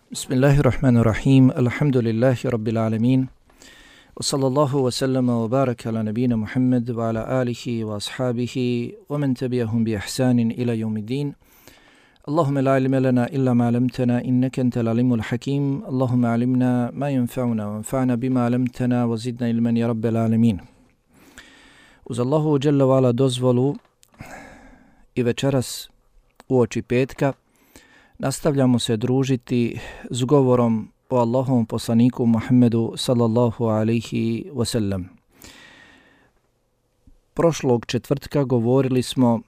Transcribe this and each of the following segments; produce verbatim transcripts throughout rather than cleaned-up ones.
Bismillahirrahmanirrahim. Alhamdulillahi rabbil alamin. Wa sallallahu wa sallama wa baraka ala nabina Muhammad wa ala alihi wa ashabihi wa man tabi'ahum bi ihsanin ila yawmiddin. Allahumma la ilma lana illa ma 'allamtana innaka antal alimul hakim. Allahumma 'allimna ma yanfa'una wanfa'na bima 'allamtana wa zidna ilman ya rabbal alamin. Uz Allahu dželle ve ala dozvolu i večeras uoči petka nastavljamo se družiti s govorom o Allahovom poslaniku Muhammedu sallallahu alaihi wasallam. Prošlog četvrtka govorili smo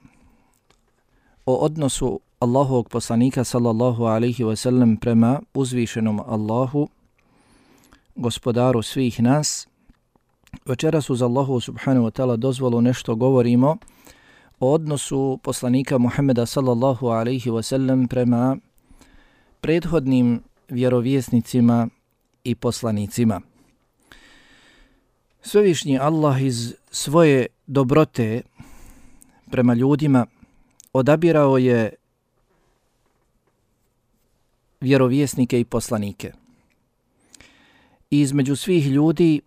o odnosu Allahovog poslanika sallallahu alaihi wasallam prema uzvišenom Allahu, gospodaru svih nas. Večeras uz Allahu subhanahu wa ta'ala dozvolu nešto govorimo o odnosu poslanika Muhammeda sallallahu alaihi wasallam prema prethodnim vjerovjesnicima i poslanicima. Svevišnji Allah iz svoje dobrote prema ljudima odabirao je vjerovjesnike i poslanike. I između svih ljudi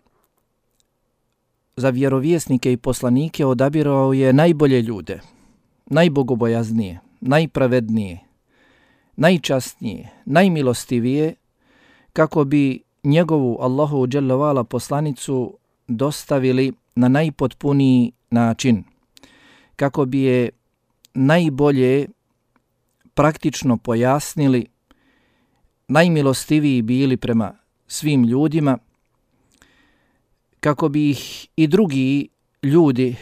za vjerovjesnike i poslanike odabirao je najbolje ljude, najbogobojaznije, najpravednije, najčasnije, najmilostivije, kako bi njegovu Allahu dželle ve ala poslanicu dostavili na najpotpuniji način, kako bi je najbolje praktično pojasnili, najmilostiviji bili prema svim ljudima, kako bi ih i drugi ljudi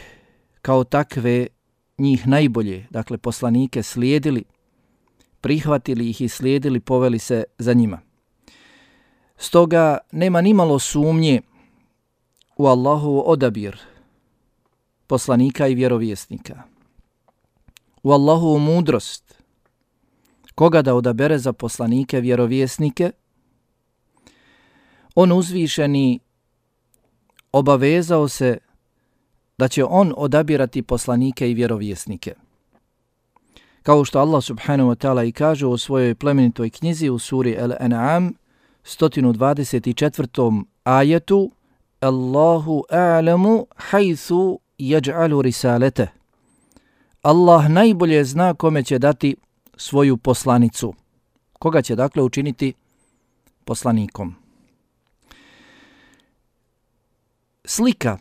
kao takve njih najbolje, dakle poslanike, slijedili, prihvatili ih i slijedili, poveli se za njima. Stoga nema nimalo sumnje u Allahov odabir poslanika i vjerovjesnika, u Allahovu mudrost, koga da odabere za poslanike, vjerovjesnike. On uzvišeni obavezao se da će on odabirati poslanike i vjerovjesnike. Kao što Allah subhanahu wa ta'ala i kaže u svojoj plemenitoj knjizi u suri Al-An'am sto dvadeset četvrtom ajetu: Allahu a'lamu haythu yaj'alu risalete. Allah najbolje zna kome će dati svoju poslanicu. Koga će dakle učiniti poslanikom. Slika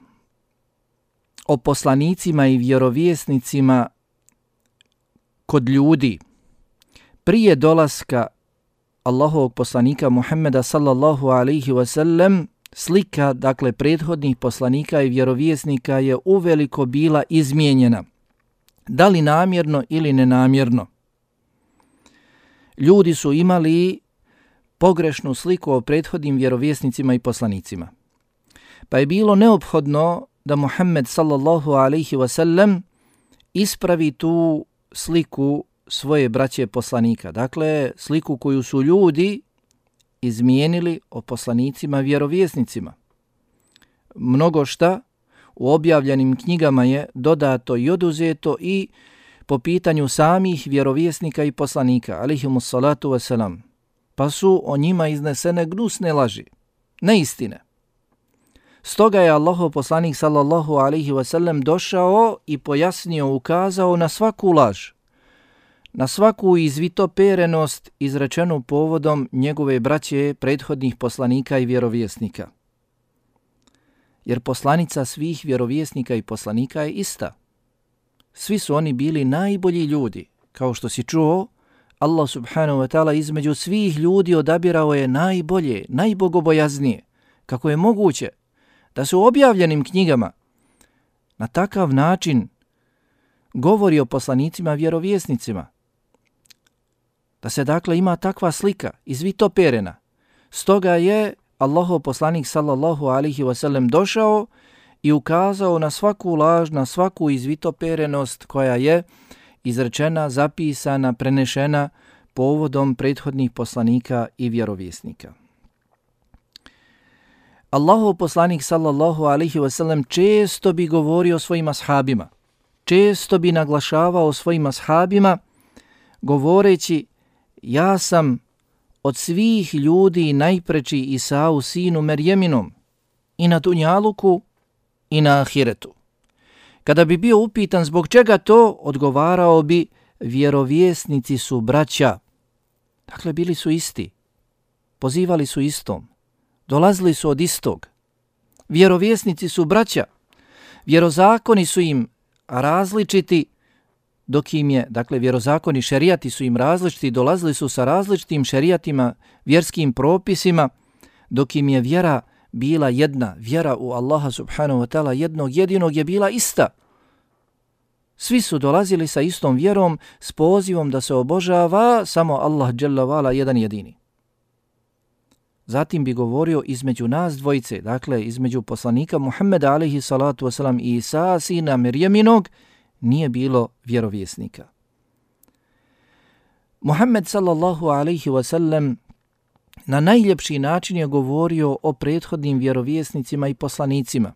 o poslanicima i vjerovjesnicima kod ljudi prije dolaska Allahovog poslanika Muhammeda sallallahu alaihi wasallam, slika dakle prethodnih poslanika i vjerovjesnika je uveliko bila izmijenjena. Da li namjerno ili nenamjerno? Ljudi su imali pogrešnu sliku o prethodnim vjerovjesnicima i poslanicima. Pa je bilo neophodno da Muhammed sallallahu alaihi wasallam ispravi tu sliku svoje braće poslanika. Dakle, sliku koju su ljudi izmijenili o poslanicima vjerovjesnicima. Mnogo šta u objavljenim knjigama je dodato i oduzeto i po pitanju samih vjerovjesnika i poslanika, alaihimus salatu wasalam. Pa su o njima iznesene gnusne laži, neistine. Stoga je Allahov poslanik sallallahu alaihi wasallam došao i pojasnio, ukazao na svaku laž, na svaku izvitoperenost izrečenu povodom njegove braće prethodnih poslanika i vjerovjesnika. Jer poslanica svih vjerovjesnika i poslanika je ista. Svi su oni bili najbolji ljudi. Kao što si čuo, Allah subhanahu wa ta'ala između svih ljudi odabirao je najbolje, najbogobojaznije. Kako je moguće da se u objavljenim knjigama na takav način govori o poslanicima vjerovjesnicima. Da se dakle ima takva slika izvitoperena. Stoga je Allahov poslanik sallallahu alaihi wasallam došao i ukazao na svaku laž, na svaku izvitoperenost koja je izrečena, zapisana, prenešena povodom prethodnih poslanika i vjerovjesnika. Allahov poslanik sallallahu alaihi wasallam često bi govorio svojim ashabima, često bi naglašavao svojim ashabima govoreći: ja sam od svih ljudi najpreči Isau sinu Merjeminom i na dunjaluku i na ahiretu. Kada bi bio upitan zbog čega to, odgovarao bi vjerovjesnici su braća. Dakle, bili su isti, pozivali su istom, dolazili su od istog. Vjerovjesnici su braća, vjerozakoni su im različiti, dok im je, dakle, vjerozakoni šerijati su im različiti, dolazili su sa različitim šerijatima, vjerskim propisima, dok im je vjera bila jedna, vjera u Allaha subhanahu wa ta'ala jednog jedinog je bila ista. Svi su dolazili sa istom vjerom, s pozivom da se obožava samo Allah dželle vala jedan jedini. Zatim bi govorio između nas dvojice, dakle između poslanika Muhammeda alejhi salatu wasalam i Isa sina Merjeminog, nije bilo vjerovjesnika. Muhammed sallallahu alejhi wasallam na najljepši način je govorio o prethodnim vjerovjesnicima i poslanicima.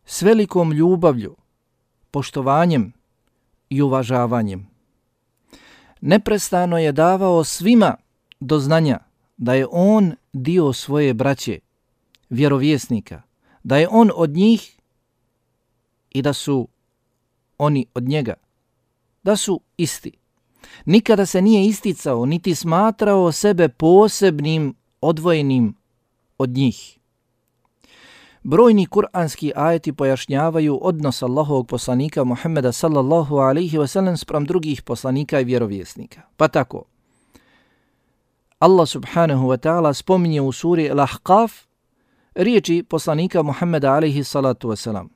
S velikom ljubavlju, poštovanjem i uvažavanjem. Neprestano je davao svima do znanja da je on dio svoje braće, vjerovjesnika, da je on od njih i da su oni od njega, da su isti. Nikada se nije isticao, niti smatrao sebe posebnim, odvojenim od njih. Brojni kuranski ajeti pojašnjavaju odnos Allahovog poslanika Muhammeda sallallahu alaihi wasallam spram drugih poslanika i vjerovjesnika. Pa tako, Allah subhanahu wa ta'ala spominje u suri Al-Ahqaf riječi poslanika Muhammeda alaihi salatu wasalam.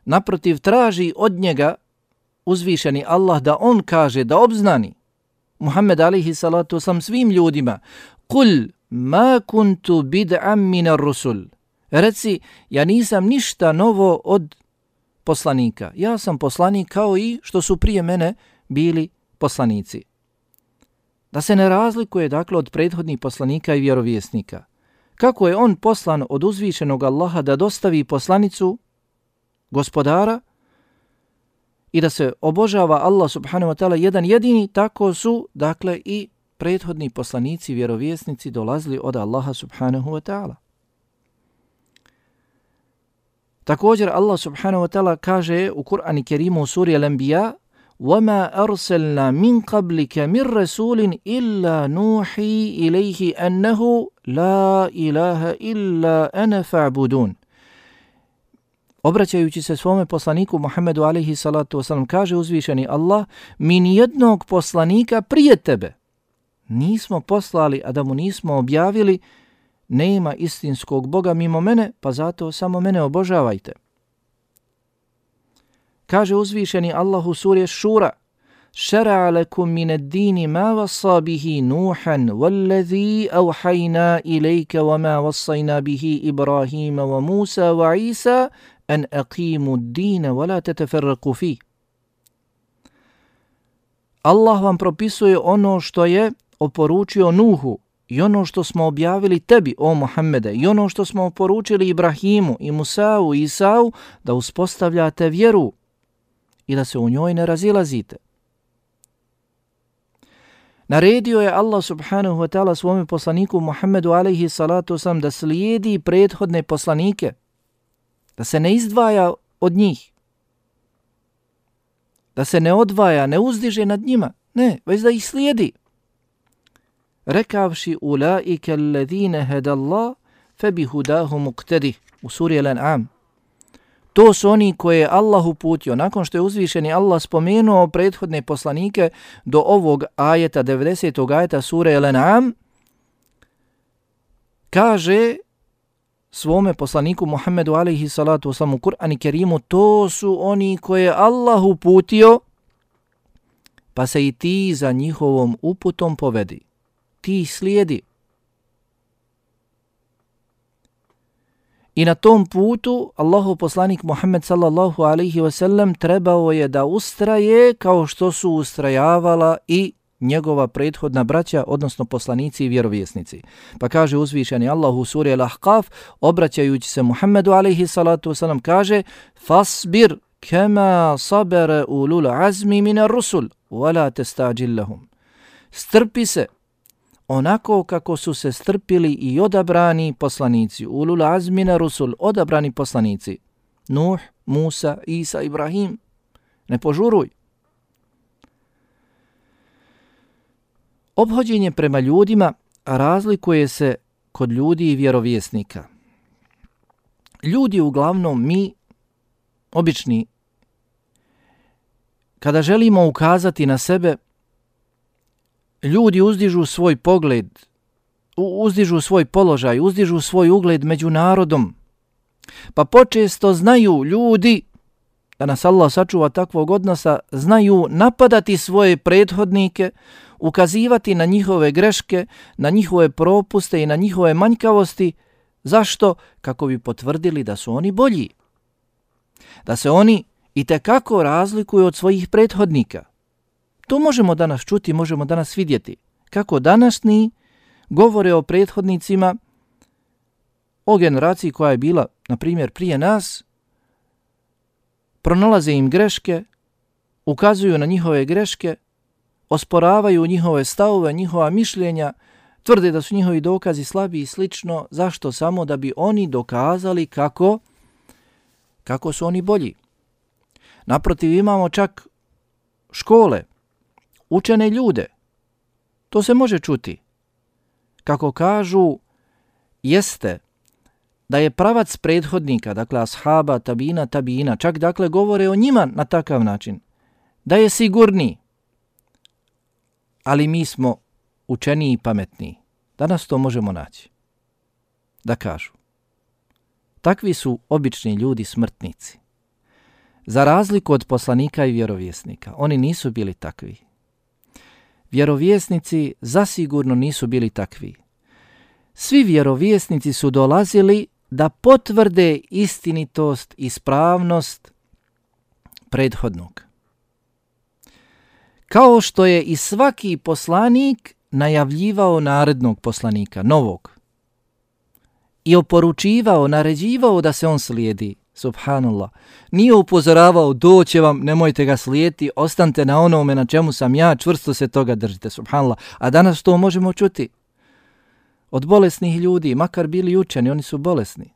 Naprotiv, traži od njega uzvišeni Allah da on kaže, da obznani Muhammed alaihi salatu wasalam svim ljudima: Kul ma kuntu bid'am minar rusul. Reci, ja nisam ništa novo od poslanika. Ja sam poslanik kao i što su prije mene bili poslanici. Da se ne razlikuje, dakle, od prethodnih poslanika i vjerovjesnika. Kako je on poslan od uzvišenog Allaha da dostavi poslanicu gospodara i da se obožava Allah subhanahu wa ta'ala jedan jedini, tako su, dakle, i prethodni poslanici, vjerovjesnici dolazili od Allaha subhanahu wa ta'ala. Također Allah subhanahu wa ta'ala kaže u Kur'anu Kerimu u suri Al-Anbiya: وَمَا أَرْسَلْنَا مِنْ قَبْلِكَ مِنْ رَسُولٍ إِلَّا نُوحِي إِلَيْهِ أَنَّهُ لَا إِلَهَ إِلَّا أَنَا فَاعْبُدُونَ. Obraćajući se svome poslaniku Muhammedu alejhi salatu wasalam, kaže uzvišeni Allah: mi nijednog poslanika prije tebe nismo poslali, a da mu nismo objavili: nema istinskog Boga mimo mene, pa zato samo mene obožavajte. Kaže uzvišeni Allah u suri Šura: šara'a lakum min ad-dini ma wassa bihi Nuhan wallazi awhayna ilayka wa ma wassayna bihi Ibrahima wa Musa wa Isa an aqimu ad-dina wa la tatafarraqu fi. Allah vam propisuje ono što je oporučio Nuhu i ono što smo objavili tebi, o Muhammede, i ono što smo oporučili Ibrahimu i Musau i Isau, da uspostavljate vjeru i da se u njoj ne razilazite. Naredio je Allah subhanahu wa ta'ala svome poslaniku Muhammedu alejhi salatu wasalam da slijedi prethodne poslanike, da se ne izdvaja od njih, da se ne odvaja, ne uzdiže nad njima, ne, već da ih slijedi. Rekavši: ulaike alladhina hadallah fabihudahu muqtadi, u suri Al-An'am. To su oni koje je Allah uputio. Nakon što je uzvišeni Allah spomenuo prethodne poslanike do ovog ajeta, devedesetog ajeta sure Al-An'am, kaže svome poslaniku Muhammedu alejhi salatu wasalam u Kur'anu Kerimu: to su oni koje je Allah uputio, pa se i ti za njihovom uputom povedi. Ti slijedi. I na tom putu Allahov poslanik Muhammed sallallahu alejhi ve sellem trebao je da ustraje kao što su ustrajavala i njegova prethodna braća, odnosno poslanici i vjerovjesnici. Pa kaže uzvišeni Allah u suri Al-Ahqaf, obraćajući se Muhammedu alejhi salatu wasalam, kaže: fasbir kama sabara ulul azmi minar rusul wala tastajil lahum. strpi se onako kako su se strpili i odabrani poslanici, ulul azmina rusul, odabrani poslanici, Nuh, Musa, Isa, Ibrahim. Ne požuruj. Ophođenje prema ljudima razlikuje se kod ljudi i vjerovjesnika. Ljudi, uglavnom mi, obični, kada želimo ukazati na sebe, ljudi uzdižu svoj pogled, uzdižu svoj položaj, uzdižu svoj ugled među narodom. Pa počesto znaju ljudi, da nas Allah sačuva takvog odnosa, znaju napadati svoje prethodnike, ukazivati na njihove greške, na njihove propuste i na njihove manjkavosti. Zašto? Kako bi potvrdili da su oni bolji. Da se oni itekako razlikuju od svojih prethodnika. To možemo danas čuti, možemo danas vidjeti. Kako današnji govore o prethodnicima, o generaciji koja je bila, na primjer, prije nas, pronalaze im greške, ukazuju na njihove greške, osporavaju njihove stavove, njihova mišljenja, tvrde da su njihovi dokazi slabi i slično. Zašto? Samo da bi oni dokazali kako, kako su oni bolji. Naprotiv, imamo čak škole, učene ljude. To se može čuti. Kako kažu, jeste da je pravac prethodnika, dakle ashaba, tabina, tabina, čak dakle govore o njima na takav način, da je sigurniji. Ali mi smo učeniji i pametniji. Danas to možemo naći. Da kažu. Takvi su obični ljudi smrtnici. Za razliku od poslanika i vjerovjesnika, oni nisu bili takvi. Vjerovjesnici zasigurno nisu bili takvi. Svi vjerovjesnici su dolazili da potvrde istinitost, ispravnost prethodnog. Kao što je i svaki poslanik najavljivao narednog poslanika, novog, i oporučivao, naređivao da se on slijedi, subhanallah. Nije upozoravao, doće vam, nemojte ga slijediti, ostanite na onome na čemu sam ja, čvrsto se toga držite, subhanallah. A danas to možemo čuti od bolesnih ljudi, makar bili učeni, oni su bolesni.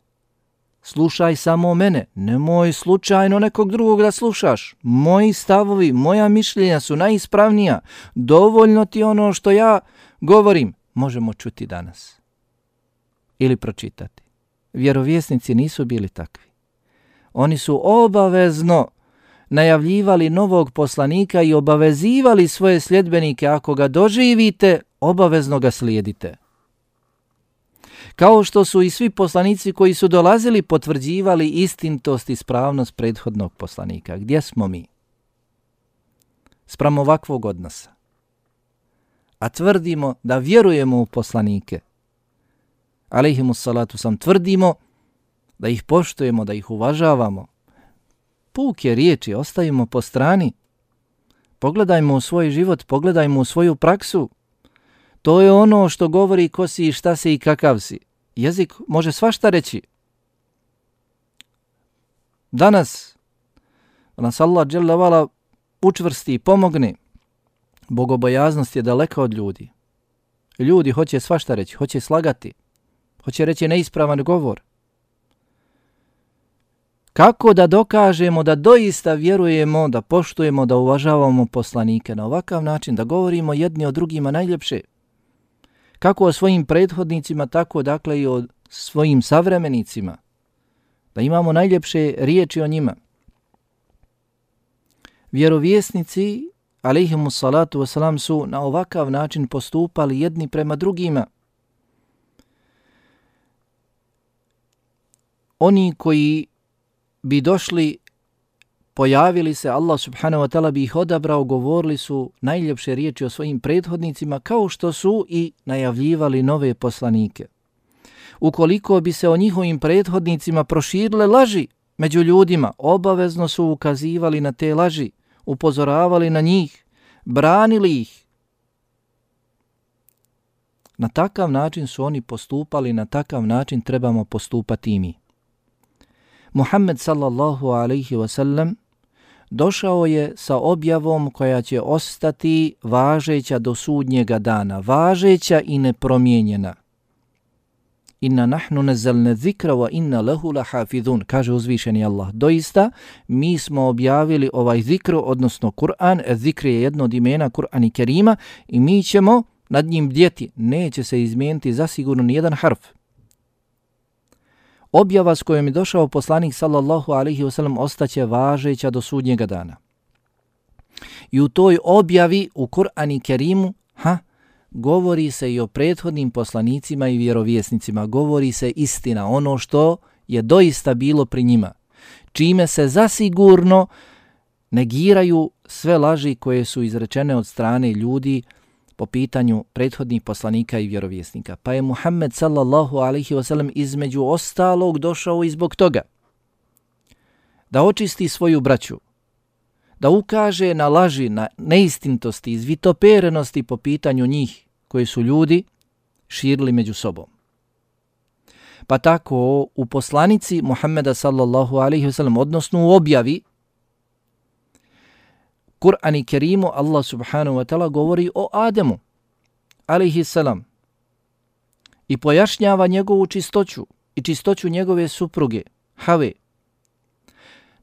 Slušaj samo mene, nemoj slučajno nekog drugog da slušaš. Moji stavovi, moja mišljenja su najispravnija. Dovoljno ti ono što ja govorim. Možemo čuti danas. Ili pročitati. Vjerovjesnici nisu bili takvi. Oni su obavezno najavljivali novog poslanika i obavezivali svoje sljedbenike, ako ga doživite, obavezno ga slijedite. Kao što su i svi poslanici koji su dolazili potvrđivali istinitost i ispravnost prethodnog poslanika. Gdje smo mi? Spram ovakvog odnosa. A tvrdimo da vjerujemo u poslanike. Alejhimus salatu sam, tvrdimo da ih poštujemo, da ih uvažavamo. Puke riječi ostavimo po strani. Pogledajmo u svoj život, pogledajmo u svoju praksu. To je ono što govori ko si i šta si i kakav si. Jezik može svašta reći. Danas nas Allah dželle vala učvrsti i pomogne. Bogobojaznost je daleka od ljudi. Ljudi hoće svašta reći, hoće slagati, hoće reći neispravan govor. Kako da dokažemo da doista vjerujemo, da poštujemo, da uvažavamo poslanike na ovakav način, da govorimo jedni o drugima najljepše? Kako o svojim prethodnicima, tako dakle i o svojim savremenicima. Da imamo najljepše riječi o njima. Vjerovjesnici, alejhimus salatu wasalam, su na ovakav način postupali jedni prema drugima. Oni koji bi došli, pojavili se, Allah subhanahu wa ta'ala bi ih odabrao, govorili su najljepše riječi o svojim prethodnicima, kao što su i najavljivali nove poslanike. Ukoliko bi se o njihovim prethodnicima proširile laži među ljudima, obavezno su ukazivali na te laži, upozoravali na njih, branili ih. Na takav način su oni postupali, na takav način trebamo postupati i mi. Muhammed sallallahu alaihi wasallam došao je sa objavom koja će ostati važeća do sudnjega dana, važeća i nepromijenjena. Inna nahnu nazzalna zikra wa inna lahu lahafizun, kaže uzvišeni Allah. Doista, mi smo objavili ovaj zikr, odnosno Kur'an. Zikr je jedno od imena Kur'ana i Kerima i mi ćemo nad njim bdjeti. Neće se izmijeniti zasigurno nijedan harf. Objava s kojom je došao poslanik sallallahu alaihi wasallam ostaće važeća do sudnjega dana. I u toj objavi u Kur'anu i Kerimu, ha, govori se i o prethodnim poslanicima i vjerovjesnicima, govori se istina, ono što je doista bilo pri njima, čime se zasigurno negiraju sve laži koje su izrečene od strane ljudi po pitanju prethodnih poslanika i vjerovjesnika. Pa je Muhammed sallallahu alaihi wasallam između ostalog došao i zbog toga da očisti svoju braću, da ukaže na laži, na neistintosti, izvitoperenosti po pitanju njih koje su ljudi širili među sobom. Pa tako u poslanici Muhammeda sallallahu alaihi wasallam, odnosno u objavi Kur'an i Kerimu, Allah subhanahu wa ta'ala govori o Ademu alaihi salam i pojašnjava njegovu čistoću i čistoću njegove supruge Have,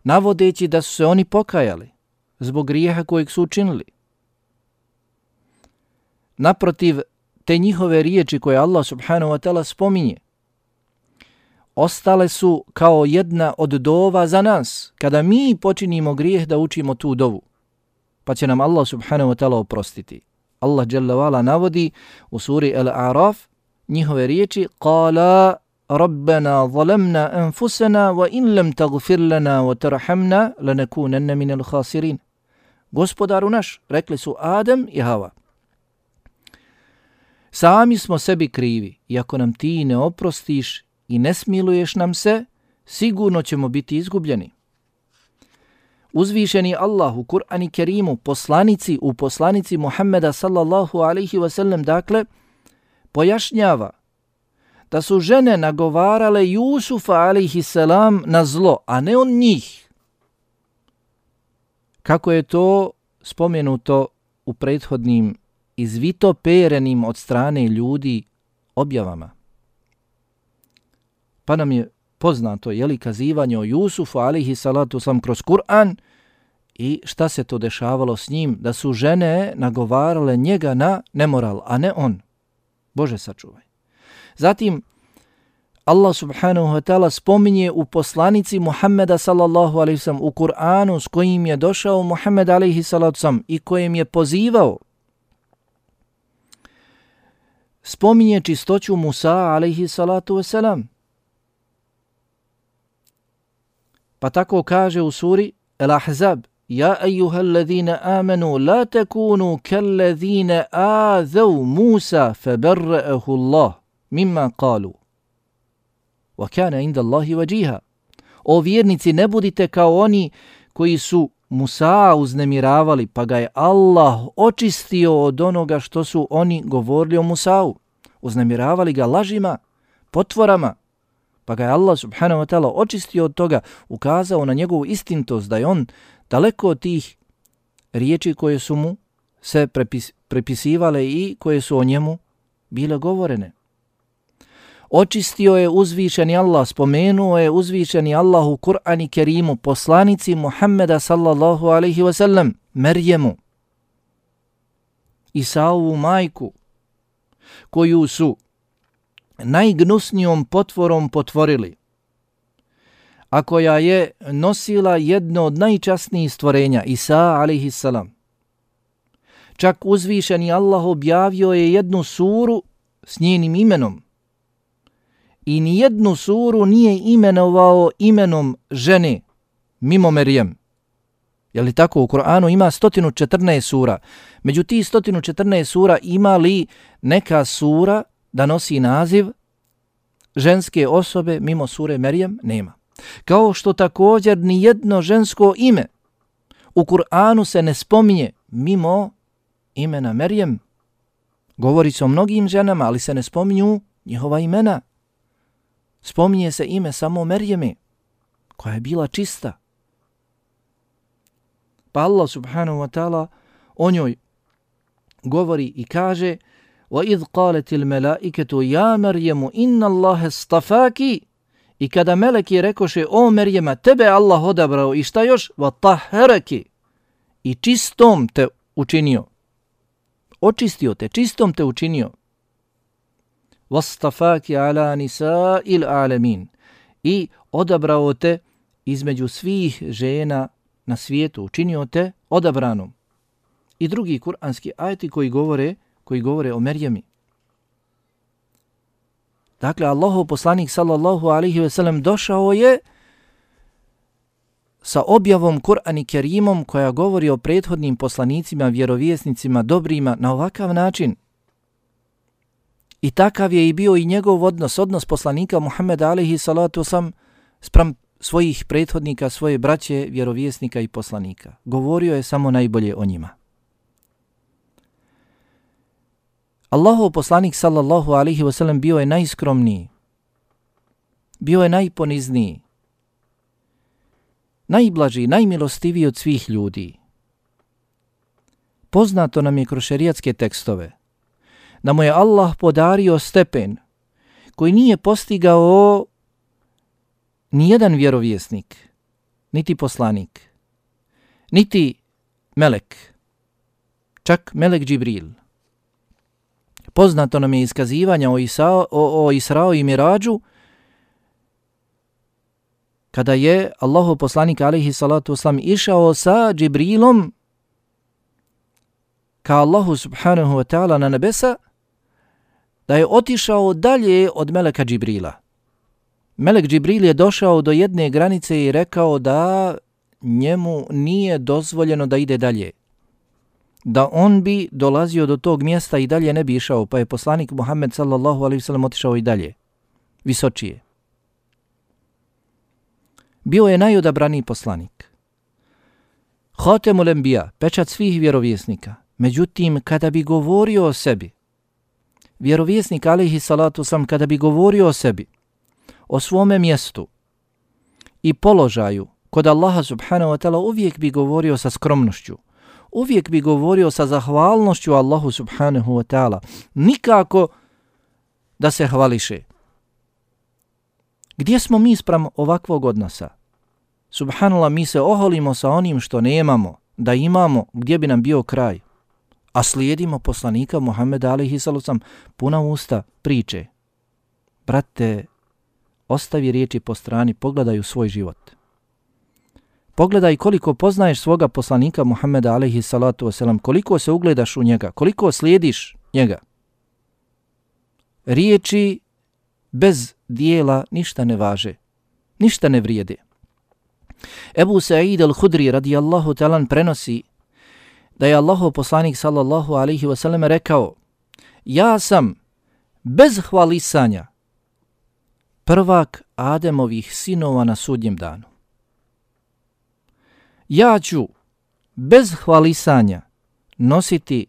navodeći da su se oni pokajali zbog grijeha kojeg su učinili. Naprotiv, te njihove riječi koje Allah subhanahu wa ta'ala spominje ostale su kao jedna od dova za nas kada mi počinimo grijeh da učimo tu dovu, pa će nam Allah subhanahu wa ta'ala oprostiti. Allah jalla wa'ala navodi u suri Al-A'raf njihove riječi: Qala Rabbana zalamna anfusana wa in lam taghfir lana wa tarhamna lanakunanna minal khasirin. Gospodaru naš, rekli su Adem i Hava, sami smo sebi krivi i ako nam ti ne oprostiš i ne smiluješ nam se, sigurno ćemo biti izgubljeni. Uzvišeni Allah u Kur'anu Kerimu, poslanici u poslanici Muhammeda sallallahu alaihi wasallam, dakle, pojašnjava da su žene nagovarale Jusufa alaihi salam na zlo, a ne on njih. Kako je to spomenuto u prethodnim izvitoperenim od strane ljudi objavama. Pa nam je poznato, je li, kazivanje o Jusufu alaihi salatu wasalam kroz Kur'an i šta se to dešavalo s njim, da su žene nagovarale njega na nemoral, a ne on. Bože sačuvaj. Zatim, Allah subhanahu wa ta'ala spominje u poslanici Muhammeda sallallahu alaihi wasallam u Kur'anu s kojim je došao Muhammed alaihi salatu wasalam i kojim je pozivao, spominje čistoću Musa alaihi salatu wasalam. Pa tako kaže u suri Al-Ahzab: Ja ejuhal ladhina amanu la takunu kal ladhina azav Musa fabarra'ahu Allah mimma qalu wa kana inda Allahi wajiha. O vjernici, ne budite kao oni koji su Musa uznemiravali, pa ga je Allah očistio od onoga što su oni govorili o Musau. Uznemiravali ga lažima, potvorama, pa ga je Allah subhanahu wa ta'ala očistio od toga, ukazao na njegovu istintost, da je on daleko od tih riječi koje su mu se prepis, prepisivale i koje su o njemu bile govorene. Očistio je uzvišeni Allah, spomenuo je uzvišeni Allah u Kur'anu Kerimu poslanici Muhammeda sallallahu alaihi wasallam, Merjemu, Isaovu majku, koju su najgnusnijom potvorom potvorili, a koja je nosila jedno od najčasnijih stvorenja, Isa alaihi salam. Čak uzvišeni Allah objavio je jednu suru s njenim imenom i nijednu suru nije imenovao imenom žene mimo Merjem. Je li tako? U Kur'anu ima sto četrnaest sura. Među tih sto četrnaest sura ima li neka sura da nosi naziv ženske osobe mimo sure Merjem? Nema. Kao što također ni jedno žensko ime u Kur'anu se ne spominje mimo imena Merjem. Govori se o mnogim ženama, ali se ne spominju njihova imena. Spominje se ime samo Merjeme, koja je bila čista. Pa Allah subhanahu wa ta'ala o njoj govori i kaže وَإِذْ قَالَتِ الْمَلَائِكَةُ يَا مَرْيَمُ إِنَّ اللَّهَ اسْطَفَاكِ I kada meleki rekoše, o Merjema, tebe Allah odabrao i šta još? وَطَهَّرَكِ I čistom te učinio. Očistio te, čistom te učinio. وَاسْطَفَاكِ عَلَى نِسَاءِ الْعَالَمِينَ I odabrao te između svih žena na svijetu, učinio te odabranom. I drugi kuranski ajeti koji govore, koji govore o Merjemi. Dakle, Allahov poslanik sallallahu alaihi ve sellem došao je sa objavom Kur'an i Kerimom koja govori o prethodnim poslanicima, vjerovjesnicima, dobrima na ovakav način. I takav je i bio i njegov odnos, odnos poslanika Muhammeda alaihi salatu wasalam spram svojih prethodnika, svoje braće, vjerovjesnika i poslanika. Govorio je samo najbolje o njima. Allahov poslanik sallallahu alaihi wasallam bio je najskromniji, bio je najponizniji, najblaži, najmilostiviji od svih ljudi. Poznato nam je kroz šerijatske tekstove da mu je Allah podario stepen koji nije postigao nijedan vjerovjesnik, niti poslanik, niti melek, čak melek Džibril. Poznato nam je iskazivanja o, Isa, o, o Israo i Mirađu, kada je Allahov poslanik alejhi salatu vesselam išao sa Džibrilom ka Allahu subhanahu wa ta'ala na nebesa, da je otišao dalje od meleka Džibrila. Melek Džibril je došao do jedne granice i rekao da njemu nije dozvoljeno da ide dalje, da on bi dolazio do tog mjesta i dalje ne bi išao, pa je poslanik Muhammed sallallahu alejhi ve sellem otišao i dalje, visočije. Bio je najodabraniji poslanik. Hatemul Enbija, pečat svih vjerovjesnika. Međutim, kada bi govorio o sebi, vjerovjesnik alejhi salatu sam, kada bi govorio o sebi, o svome mjestu i položaju kod Allaha subhanahu wa ta'ala, uvijek bi govorio sa skromnošću. Uvijek bi govorio sa zahvalnošću Allahu subhanahu wa ta'ala. Nikako da se hvališe. Gdje smo mi spram ovakvog odnosa? Subhanallah, mi se oholimo sa onim što nemamo, da imamo, gdje bi nam bio kraj. A slijedimo poslanika Muhammeda alejhi salatu vesselam, puna usta priče. Brate, ostavi riječi po strani, pogledaj u svoj život. Pogledaj koliko poznaješ svoga poslanika Muhammeda alejhi salatu vesselam, koliko se ugledaš u njega, koliko slijediš njega. Riječi bez dijela ništa ne važe, ništa ne vrijede. Ebu Sa'id al-Hudri radijallahu ta'ala prenosi da je Allahov poslanik sallallahu alejhi ve sellem rekao: ja sam bez hvalisanja prvak Ademovih sinova na sudnjem danu. Ja ću bez hvalisanja nositi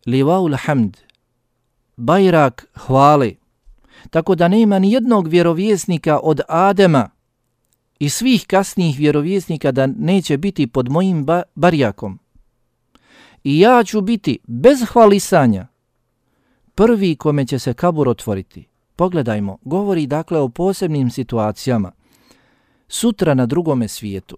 livaul hamd, bajrak hvale, tako da nema ni jednog vjerovjesnika od Adema i svih kasnijih vjerovjesnika da neće biti pod mojim ba- barjakom. I ja ću biti bez hvalisanja prvi kome će se kabur otvoriti. Pogledajmo, govori dakle o posebnim situacijama. Sutra na drugome svijetu,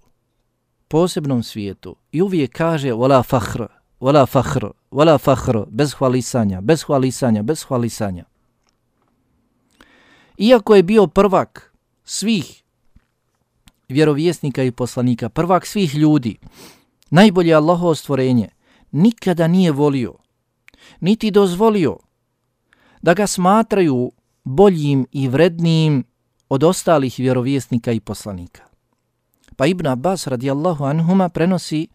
posebnom svijetu, i uvijek kaže wala fakhr, wala fakhr, wala fakhr, bez hvalisanja, bez hvalisanja, bez hvalisanja. Iako je bio prvak svih vjerovjesnika i poslanika, prvak svih ljudi, najbolje Allahovo stvorenje, nikada nije volio, niti dozvolio da ga smatraju boljim i vrednijim od ostalih vjerovjesnika i poslanika. Pa Ibn Abbas radijallahu anhuma prenosi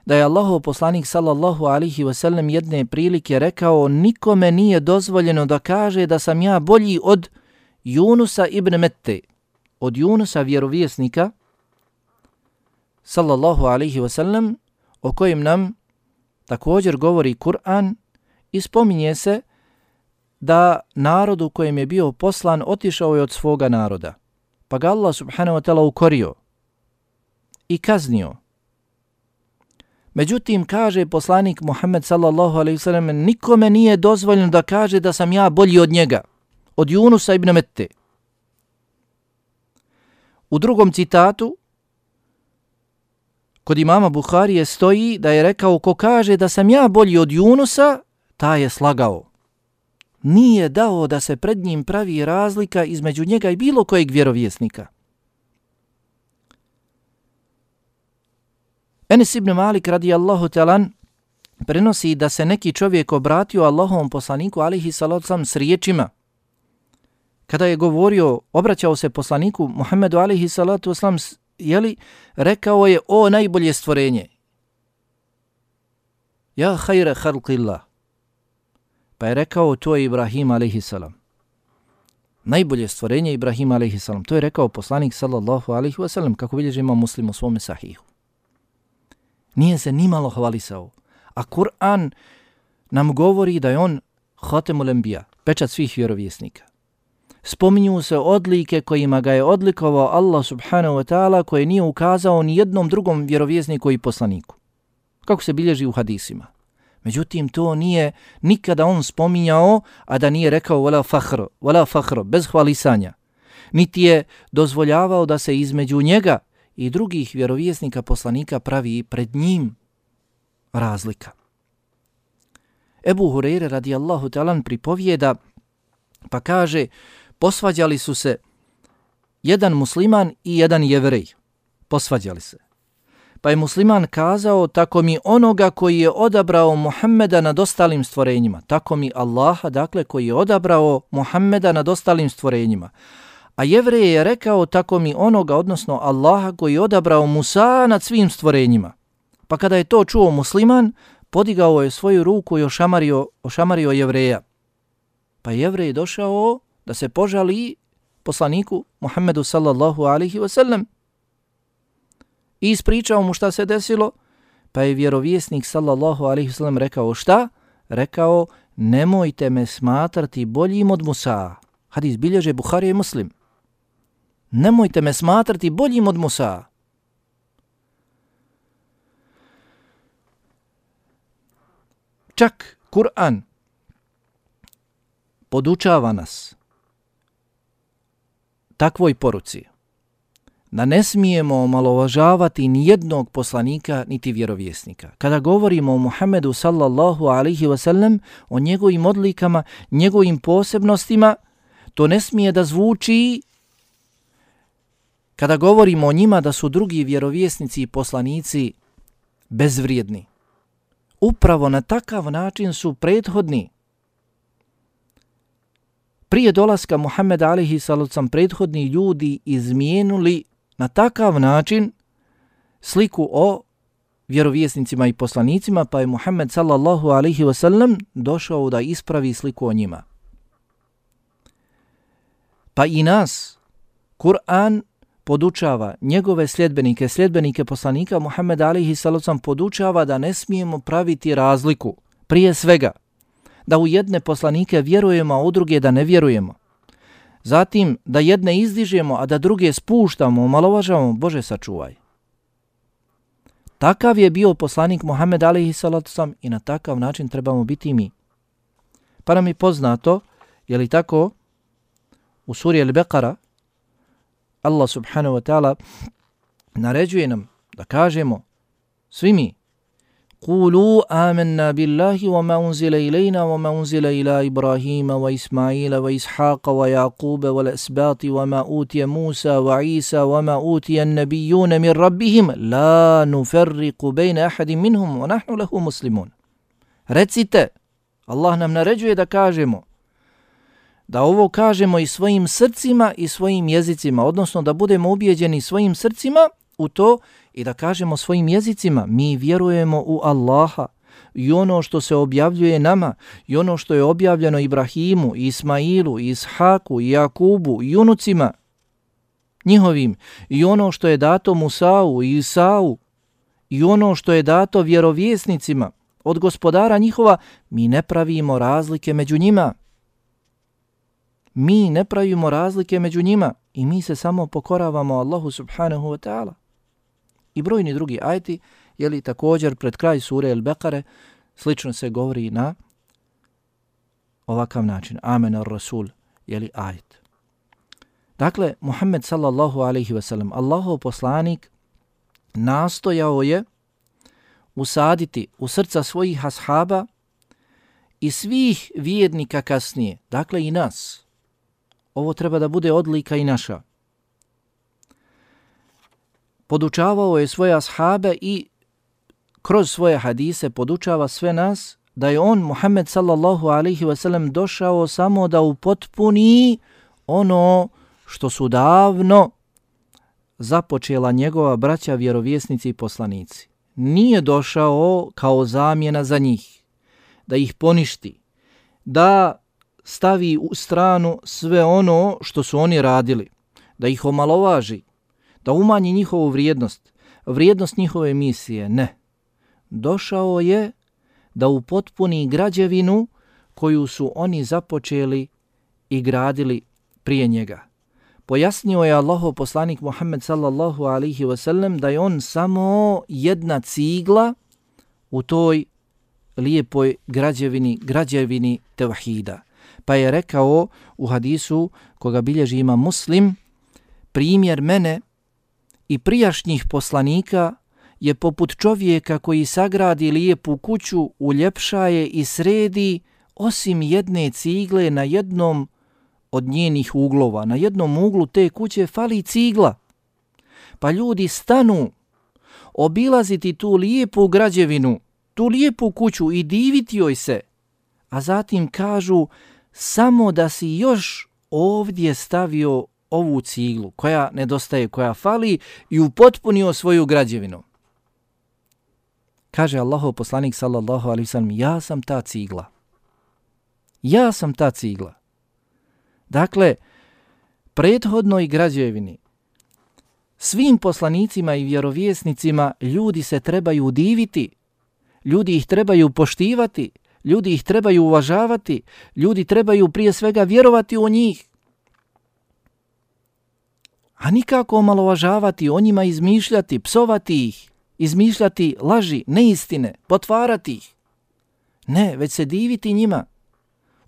da je Allahov poslanik sallallahu alaihi ve sellem jedne prilike rekao: nikome nije dozvoljeno da kaže da sam ja bolji od Junusa ibn Mette, od Junusa vjerovjesnika sallallahu alaihi ve sellem, o kojem nam također govori Kur'an i spominje se da narodu kojem je bio poslan otišao je od svoga naroda, pa ga Allah subhanahu wa ta'ala ukorio i kaznio Međutim, kaže poslanik Muhammed sallallahu alejhi ve sellem, nikome nije dozvoljeno da kaže da sam ja bolji od njega, od Junusa ibn Mette. U drugom citatu, kod imama Buharije stoji da je rekao, ko kaže da sam ja bolji od Junusa, taj je slagao. Nije dao da se pred njim pravi razlika između njega i bilo kojeg vjerovjesnika. Enes ibn Malik radijallahu ta'ala prenosi da se neki čovjek obratio Allahovom poslaniku alejhi salatu vesselam s riječima. Kada je govorio, obraćao se poslaniku Muhammedu alejhi salatu vesselam, jeli, rekao je, o najbolje stvorenje. Ja hajre halqillah. Pa je rekao, to je Ibrahim alejhi salam. Najbolje stvorenje Ibrahim alejhi salam. To je rekao poslanik sallallahu alejhi ve sellem, kako bilježi Imam Muslim u svome sahihu. Nije se nimalo hvalisao. A Kur'an nam govori da je on Hatemul Enbija, pečat svih vjerovjesnika. Spominju se odlike kojima ga je odlikovao Allah subhanahu wa ta'ala, koje nije ukazao ni jednom drugom vjerovjesniku i poslaniku, kako se bilježi u hadisima. Međutim, to nije nikada on spominjao, a da nije rekao wala fakhr, wala fakhr, bez hvalisanja. Niti je dozvoljavao da se između njega i drugih vjerovjesnika poslanika pravi pred njim razlika. Ebu Hureyre radijallahu ta'ala pripovijeda, pa kaže, posvađali su se jedan musliman i jedan jevrej. Posvađali se. Pa je musliman kazao, tako mi onoga koji je odabrao Muhammeda nad ostalim stvorenjima. Tako mi Allaha, dakle, koji je odabrao Muhammeda nad ostalim stvorenjima. A jevrej je rekao, tako mi onoga, odnosno Allaha, koji je odabrao Musa nad svim stvorenjima. Pa kada je to čuo musliman, podigao je svoju ruku i ošamario, ošamario jevreja. Pa jevrej je došao da se požali poslaniku Muhammedu sallallahu alaihi wa sallam i ispričao mu šta se desilo, pa je vjerovjesnik sallallahu alaihi wa sallam rekao šta? Rekao, nemojte me smatrati boljim od Musa. Hadis bilježe Buharija i Muslim. Nemojte me smatrati boljim od Musa. Čak Kur'an podučava nas takvoj poruci, da ne smijemo omalovažavati ni jednog poslanika niti vjerovjesnika. Kada govorimo o Muhammedu sallallahu alaihi wa sallam, o njegovim odlikama, njegovim posebnostima, to ne smije da zvuči kada govorimo o njima da su drugi vjerovjesnici i poslanici bezvrijedni. Upravo na takav način su prethodni. Prije dolaska Muhammeda alejhi salatu vesselam prethodni ljudi izmijenuli na takav način sliku o vjerovjesnicima i poslanicima, pa je Muhammed sallallahu alejhi ve sellem došao da ispravi sliku o njima. Pa i nas Kur'an podučava, njegove sljedbenike, sljedbenike poslanika Muhammeda alejhi salatu vesselam podučava da ne smijemo praviti razliku. Prije svega, da u jedne poslanike vjerujemo, a u druge da ne vjerujemo. Zatim, da jedne izdižemo, a da druge spuštamo, omalovažavamo, Bože sačuvaj. Takav je bio poslanik Muhammed alejhi salatu vesselam i na takav način trebamo biti i mi. Pa nam je poznato, je li tako, u suri Al-Beqara, Allah subhanahu wa ta'ala naređuje nam da kažemo svi mi, قولوا آمنا بالله وما أنزل إلينا وما أنزل إلى إبراهيم وإسماعيل وإسحاق ويعقوب والأسباط وما أوتي موسى وعيسى وما أوتي النبيون من ربهم لا نفرق بين أحد منهم ونحن له مسلمون. Recite, Allah nam naređuje da kažemo, da ovo kažemo i svojim srcima i svojim jezicima, odnosno da budemo ubijeđeni svojim srcima u to i da kažemo svojim jezicima, mi vjerujemo u Allaha i ono što se objavljuje nama i ono što je objavljeno Ibrahimu, Ismailu, Ishaku, Jakubu i unucima njihovim i ono što je dato Musau i Isau i ono što je dato vjerovjesnicima od gospodara njihova, mi ne pravimo razlike među njima. Mi ne pravimo razlike među njima i mi se samo pokoravamo Allahu subhanahu wa ta'ala. I brojni drugi ajeti Jeli također pred kraj sure El-Bekare slično se govori na ovakav način. Amen ar-Rasul, jeli ajet. Dakle, Muhammed sallallahu alaihi wasallam, Allahov poslanik, nastojao je usaditi u srca svojih ashaba i svih vjernika kasnije, dakle i nas. Ovo treba da bude odlika i naša. Podučavao je svoje ashabe i kroz svoje hadise podučava sve nas da je on, Muhammed sallallahu alaihi wasallam, došao samo da upotpuni ono što su davno započela njegova braća vjerovjesnici i poslanici. Nije došao kao zamjena za njih, da ih poništi, da stavi u stranu sve ono što su oni radili, da ih omalovaži, da umanji njihovu vrijednost, vrijednost njihove misije. Ne. Došao je da upotpuni građevinu koju su oni započeli i gradili prije njega. Pojasnio je Allahov poslanik Muhammed sallallahu alaihi wasallam da je on samo jedna cigla u toj lijepoj građevini, građevini tevhida. Pa je rekao u hadisu koga bilježi Imam Muslim, primjer mene i prijašnjih poslanika je poput čovjeka koji sagradi lijepu kuću, uljepšaje i sredi, osim jedne cigle na jednom od njenih uglova. Na jednom uglu te kuće fali cigla. Pa ljudi stanu obilaziti tu lijepu građevinu, tu lijepu kuću i diviti joj se, a zatim kažu samo da si još ovdje stavio ovu ciglu koja nedostaje, koja fali i upotpunio svoju građevinu. Kaže Allahov poslanik sallallahu alejhi ve sellem, ja sam ta cigla. Ja sam ta cigla. Dakle, prethodnoj građevini, svim poslanicima i vjerovjesnicima ljudi se trebaju diviti, ljudi ih trebaju poštivati, ljudi ih trebaju uvažavati, ljudi trebaju prije svega vjerovati u njih. A nikako omalovažavati, o njima izmišljati, psovati ih, izmišljati laži, neistine, potvarati ih. Ne, već se diviti njima,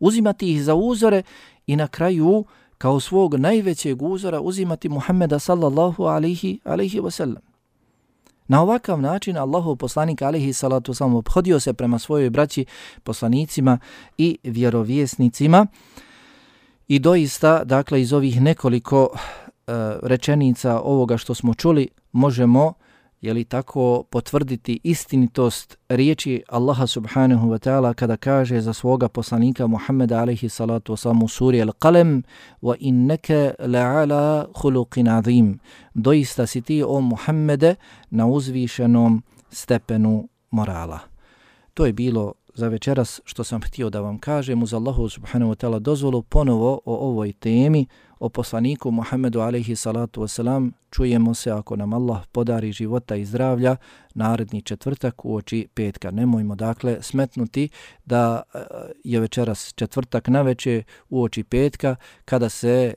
uzimati ih za uzore i na kraju kao svog najvećeg uzora uzimati Muhammeda sallallahu alaihi, alaihi wasallam. Na ovakav način Allahov poslanik alaihi salatu wasallam obhodio se prema svojoj braći, poslanicima i vjerovjesnicima i doista, dakle, iz ovih nekoliko uh, rečenica ovoga što smo čuli možemo, je li tako, potvrditi istinitost riječi Allaha subhanahu wa ta'ala kada kaže za svoga poslanika Muhammeda alaihi salatu wasalam u suri Al-Qalem wa inneke la'ala khuluqin azim. Doista si ti, o Muhammede, na uzvišenom stepenu morala. To je bilo za večeras što sam htio da vam kažem. Uz Allahu subhanahu wa ta'ala dozvolu ponovo o ovoj temi, o poslaniku Muhammedu alaihi salatu wasalam. Čujemo se, ako nam Allah podari života i zdravlja, naredni četvrtak uoči petka. Nemojmo dakle smetnuti da je večeras četvrtak naveče uoči petka, kada se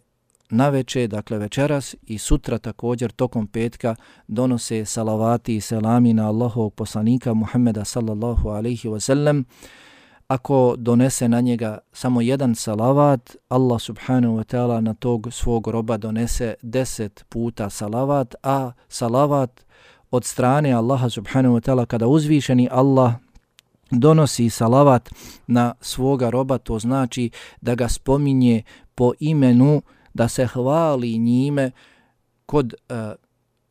naveče, dakle večeras i sutra također tokom petka donose salavati i selami na Allahovog poslanika Muhammeda sallallahu alaihi wasallam. Ako donese na njega samo jedan salavat, Allah subhanahu wa ta'ala na tog svog roba donese deset puta salavat, a salavat od strane Allaha subhanahu wa ta'ala, kada uzvišeni Allah donosi salavat na svoga roba, to znači da ga spominje po imenu, da se hvali njime kod uh,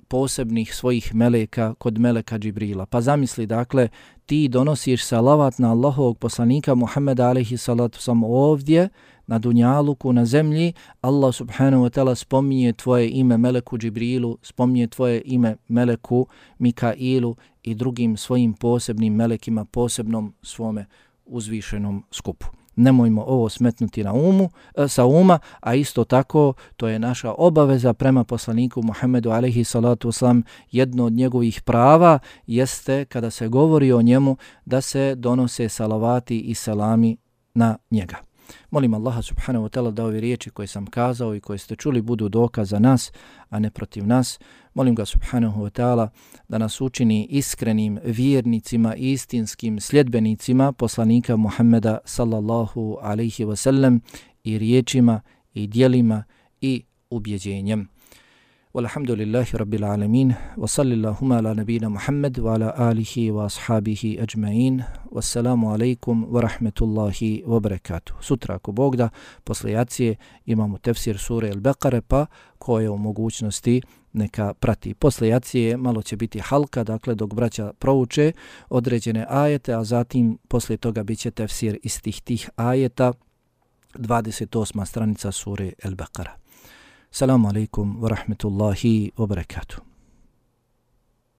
posebnih svojih meleka, kod meleka Džibrila. Pa zamisli, dakle, ti donosiš salavat na Allahovog poslanika Muhammeda alaihi salatu wasalam ovdje, na dunjaluku, na zemlji, Allah subhanahu wa ta'ala spominje tvoje ime meleku Džibrilu, spominje tvoje ime meleku Mikailu i drugim svojim posebnim melekima, posebnom svome uzvišenom skupu. Nemojmo ovo smetnuti na umu, sa uma, a isto tako to je naša obaveza prema poslaniku Muhammedu alejhi salatu wasalam. Jedno od njegovih prava jeste, kada se govori o njemu, da se donose salavati i salami na njega. Molim Allaha subhanahu wa ta'ala da ove riječi koje sam kazao i koje ste čuli budu dokaz za nas, a ne protiv nas. Molim ga subhanahu wa ta'ala da nas učini iskrenim vjernicima i istinskim sljedbenicima poslanika Muhammeda sallallahu alaihi wa sallam i riječima i dijelima i ubjeđenjem. Walhamdulillahi rabbil alamin wa sallallahu ala nabina Muhammad wa ala alihi wa ashabihi ajma'in. Wassalamu alaikum wa rahmetullahi wa barakatuh. Sutra, ako Bog da, posle jacije imamo tefsir sure Al-Baqare, pa ko je u mogućnosti neka prati. Posle jacije malo će biti halka, dakle dok braća prouče određene ajete, a zatim posle toga bit će tefsir istih tih ajeta, dvadeset osma stranica sure Al-Baqara. Assalamu alaikum wa rahmetullahi wa barakatuh.